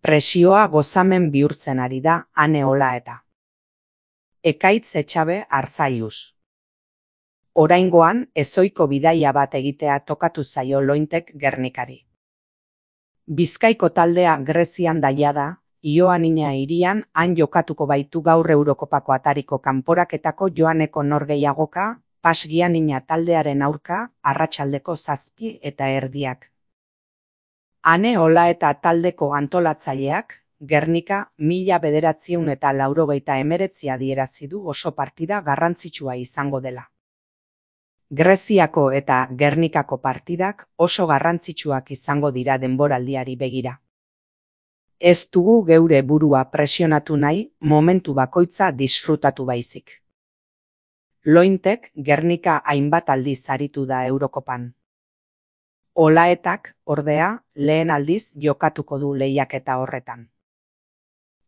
Presioa gozamen bihurtzen ari da Ane Olaeta. Ekaitz Etxabe Arzaius. Oraingoan ezohiko bidaia bat egitea tokatu zaio Lointek Gernikari. Bizkaiko taldea Grezian daia da, Ioannina hirian han jokatuko baitu gaur Eurokopako atariko kanporaketako joaneko norgehiagoka, PAS Giannina taldearen aurka, arratsaldeko 7:30. Ane Olaeta taldeko antolatzaileak, Gernika 1989 adierazi du oso partida garrantzitsua izango dela. Greziako eta Gernikako partidak oso garrantzitsuak izango dira denboraldiari begira. Ez dugu geure burua presionatu nahi, momentu bakoitza disfrutatu baizik. Lointek Gernika hainbat aldiz aritu da Eurokopan. Olaetak, ordea, lehen aldiz jokatuko du lehiaketa horretan.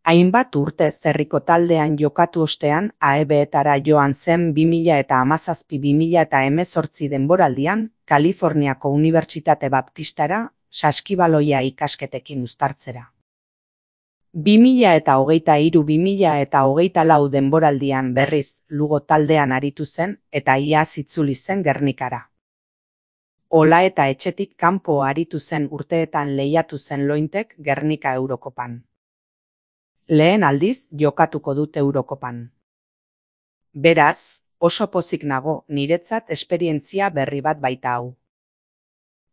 Hainbat urte herriko taldean jokatu ostean AEB-etara joan zen 2017-2018 denboraldian, Kaliforniako Unibertsitate Baptistara, saskibaloia ikasketekin uztartzera. 2023-2024 denboraldian berriz Lugo taldean aritu zen eta iaz itzuli zen Gernikara. Olaeta etxetik kanpo aritu zen urteetan lehiatu zen Lointek Gernika Eurokopan. Lehen aldiz jokatuko dut Eurokopan. Beraz, oso pozik nago, niretzat esperientzia berri bat baita hau.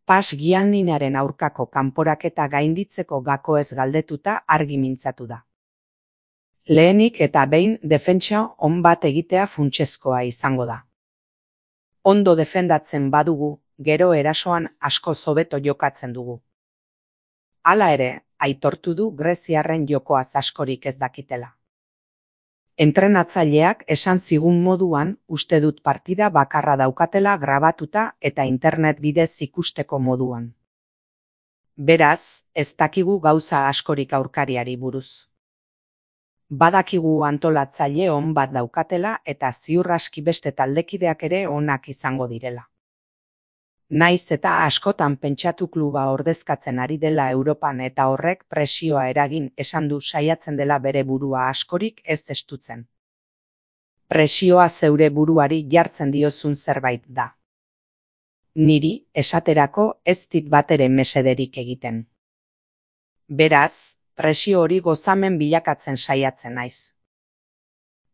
PAS Gianninaren aurkako kanporaketa gainditzeko gakoez galdetuta argi mintzatu da. Lehenik eta behin defentsa on bat egitea funtsezkoa izango da. Ondo defendatzen badugu, gero erasoan asko hobeto jokatzen dugu. Hala ere, aitortu du greziarren jokoaz askorik ez dakitela. Entrenatzaileak esan zigun moduan, uste dut partida bakarra daukatela grabatuta eta internet bidez ikusteko moduan. Beraz, ez dakigu gauza askorik aurkariari buruz. Badakigu antolatzaile on bat daukatela eta ziur aski beste taldekideak ere onak izango direla. Naiz eta askotan pentsatu kluba ordezkatzen ari dela Europan eta horrek presioa eragin esan du saiatzen dela bere burua askorik ez estutzen. Presioa zeure buruari jartzen diozun zerbait da. Niri, esaterako, ez dit batere mesederik egiten. Beraz, presio hori gozamen bilakatzen saiatzen naiz.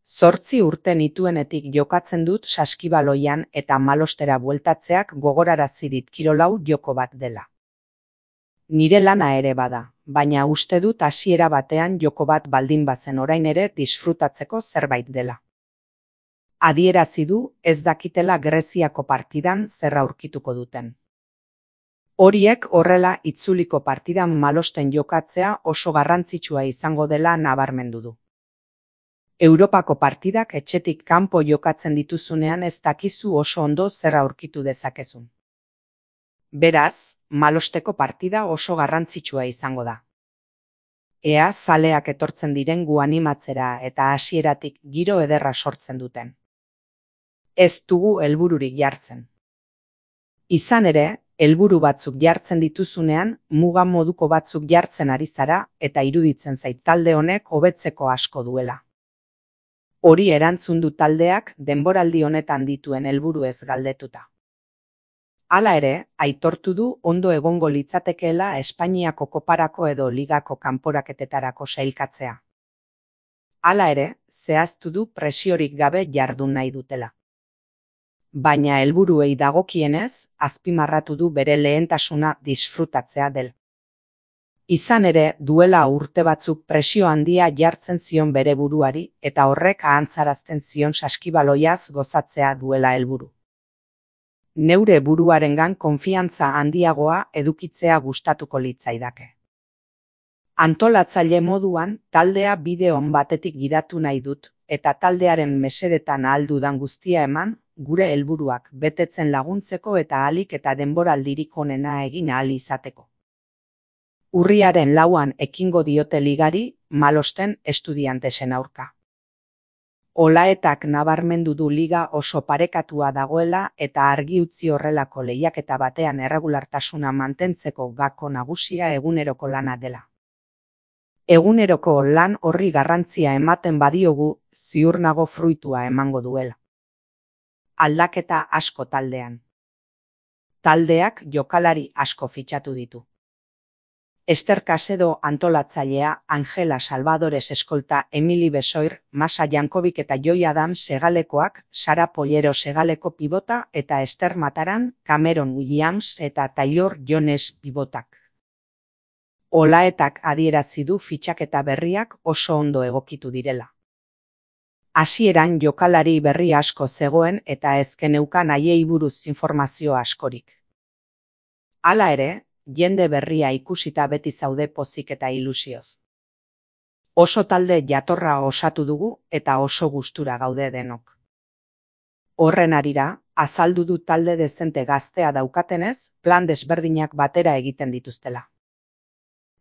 8 urte nituenetik jokatzen dut saskibaloian eta malostera bueltatzeak gogorarazi dit kirolau joko bat dela. Nire lana ere bada, baina uste dut hasiera batean joko bat baldin bazen orain ere disfrutatzeko zerbait dela. Adierazi du ez dakitela Greziako partidan zer aurkituko duten. Horiek horrela itzuliko partidan malosten jokatzea oso garrantzitsua izango dela nabarmendu du. Europako partidak etxetik kanpo jokatzen dituzunean ez dakizu oso ondo zer aurkitu dezakezun. Beraz, malosteko partida oso garrantzitsua izango da. Ea zaleak etortzen diren gu animatzera eta hasieratik giro ederra sortzen duten. Ez dugu helbururik jartzen. Izan ere, helburu batzuk jartzen dituzunean, muga moduko batzuk jartzen ari zara eta iruditzen zait talde honek hobetzeko asko duela. Hori erantzun du taldeak denboraldi honetan dituen helburuez galdetuta. Hala ere, aitortu du ondo egongo litzatekeela Espainiako koparako edo ligako kanporaketetarako sailkatzea. Hala ere, zehaztu du presiorik gabe jardun nahi dutela. Baina helburuei dagokienez, azpimarratu du bere lehentasuna disfrutatzea del. Izan ere, duela urte batzuk presio handia jartzen zion bere buruari eta horrek ahantzarazten zion saskibaloiaz gozatzea duela helburu. Neure buruarengan konfiantza handiagoa edukitzea gustatuko litzaidake. Antolatzaile moduan, taldea bide on batetik gidatu nahi dut eta taldearen mesedetan ahal dudan guztia eman, gure helburuak betetzen laguntzeko eta ahalik eta denboraldirik onena egin ahal izateko. Urriaren 4 ekingo diote ligari, malosten estudiantesen aurka. Olaetak nabarmendu du liga oso parekatua dagoela eta argi utzi horrelako lehiaketa batean erregulartasuna mantentzeko gako nagusia eguneroko lana dela. Eguneroko lan horri garrantzia ematen badiogu, ziur nago fruitua emango duela. Aldaketa asko taldean. Taldeak jokalari asko fitxatu ditu. Ester Casedo antolatzailea, Angela Salvadores eskolta, Emily Besoir, Masa Jankovic eta Joy Adams segalekoak, Sara Pollero segaleko pibota eta Ester Mataran, Cameron Williams eta Taylor Jones pibotak. Olaetak adierazi du fitxaketa berriak oso ondo egokitu direla. Hasieran jokalari berri asko zegoen eta ez geneukan haiei buruz informazio askorik. Hala ere, jende berria ikusita beti zaude pozik eta ilusioz. Oso talde jatorra osatu dugu eta oso gustura gaude denok. Horren harira, azaldu du talde dezente gaztea daukatenez, plan desberdinak batera egiten dituztela.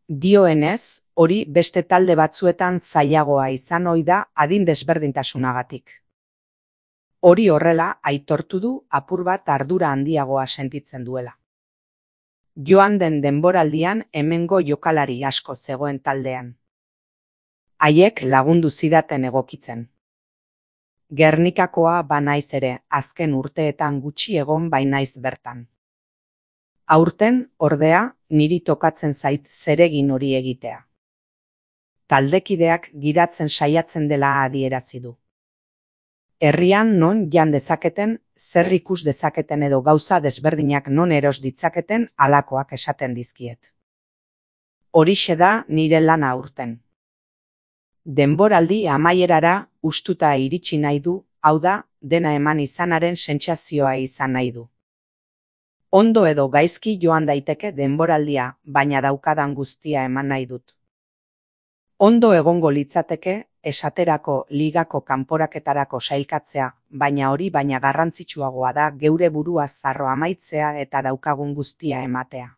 Dioenez, hori beste talde batzuetan zailagoa izan ohi da adin desberdintasunagatik. Hori horrela, aitortu du apur bat ardura handiagoa sentitzen duela. Joan den denboraldian hemengo jokalari asko zegoen taldean. Haiek lagundu zidaten egokitzen. Gernikakoa banaiz ere, azken urteetan gutxi egon bainaiz bertan. Aurten, ordea, niri tokatzen zait zeregin hori egitea. Taldekideak gidatzen saiatzen dela adierazi du. Herrian non jan dezaketen, zer ikus dezaketen edo gauza desberdinak non eros ditzaketen halakoak esaten dizkiet. Horixe da nire lana aurten. Denboraldi amaierara hustuta iritsi nahi du, hau da, dena eman izanaren sentsazioa izan nahi du. Ondo edo gaizki joan daiteke denboraldia, baina daukadan guztia eman nahi dut. Ondo egongo litzateke, esaterako ligako kanporaketarako sailkatzea, baina hori baina garrantzitsuagoa da geure burua zarro amaitzea eta daukagun guztia ematea.